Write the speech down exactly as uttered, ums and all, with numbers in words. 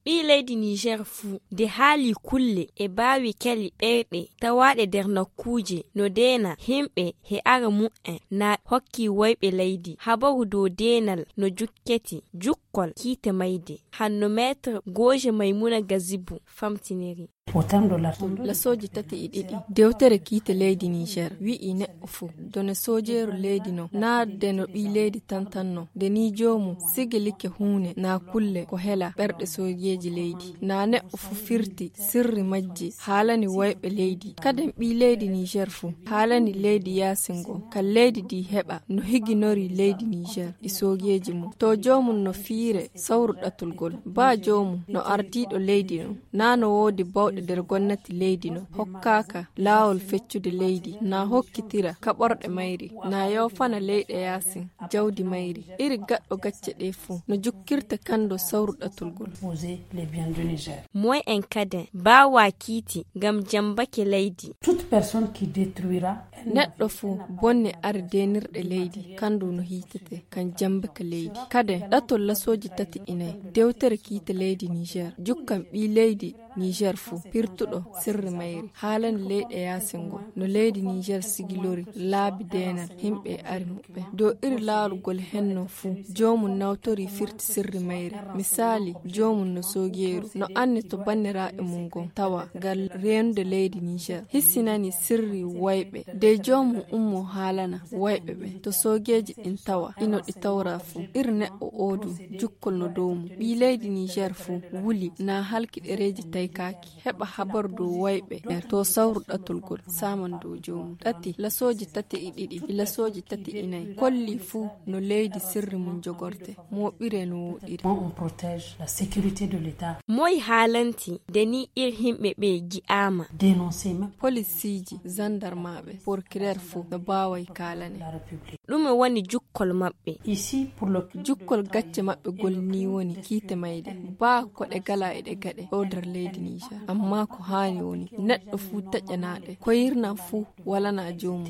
Ɓii leydi Niger fuu, nde haali kulle e baawi kali ɓerɗe tawaaɗe nder nokkuuje no deena himɓe he ara mu'en, na hokki woyɓe leydi. Habaru dow deenal no jukketi jukkol kiite mayde, hanno Maître Goje Maimouna Gazibou famtiniri. Lasooji tati e ɗiɗi dewtere kiite leydi Niger wi'i neɗɗo fuu, done soojeeru leydi no, naa de no ɓii leydi tantanno, de ni joomum sigilike huune naa kulle ko hela ɓerɗe soojeeji leydi. Naa neɗɗo fuu firti sirri majji, haalani woyɓe leydi. Kaden ɓii leydi Niger fuu, haalani leydi yaasin ngon, ka leydi ndi heɓa no higinori leydi Niger e soojeeji mum. To joomum no fiire sawru ɗatulgol, baa joomum no ardiiɗo leydi no, naa no woodi bawɗe nder gomnati leydi no, hokkaaka laawol feccude leydi, naa hokkitira kaɓorɗe mayri, naa yoofana leyɗe yaasin jawdi mayri. Iri gaɗɗo gacce ɗee fuu no jukkirta kando sawru ɗatulgol. Moy en kaden baawaa kiiti ngam jambake leydi. Neɗɗo fuu bonne ari deenirɗe leydi, kandu no hiitete kan jambaka leydi. Kaden ɗatol lasooji tati e nay dewtere kiite leydi Niger jukkan ɓii leydi Niger fuu, pirtuɗo sirri mayri, haalani leyɗe yaasin ngon no leydi Niger sigilori laabi deenal himɓe e ari muɓɓen. Dow iri laarugol henno fuu, joomum nawtori firti sirri mayri. Misaali, joomum no soogeeru, no anni to banniraaɓe mum ngon tawa ngal reenude leydi Niger, hissinani sirri woyɓe. De joomum ummo haalana woyɓe ɓen to soogeeji ɗin tawa ino ɗi tawra fuu. Iri neɗɗo oo du, jukkol no dow mum. Ɓii leydi Niger fuu wuli, na halki ɗereeji taykaaki, heɓa habar dow woyɓe ɓen to sawru ɗatulgol, saaman dow joomum. Ɗati, lasooji tati e ɗiɗi e lasooji tati e nay kolli fuu no leydi sirri mum jogorte, mooɓire no woɗɗiri. Moy haalanti nde ni ir himɓe ɓe gi'aama? Polisiiji, zandarmaaɓe, porkireer fuu no baaway kaalane. Ɗume woni jukkol maɓɓe? Jukkol gacce maɓɓe gol ni woni kiite mayde, baa ko ɗe gala e ɗe gaɗe ɗo nder leydi Niger. Amma ko haani woni neɗɗo fuu taƴanaaɗe, koyirnan fuu walana joomum.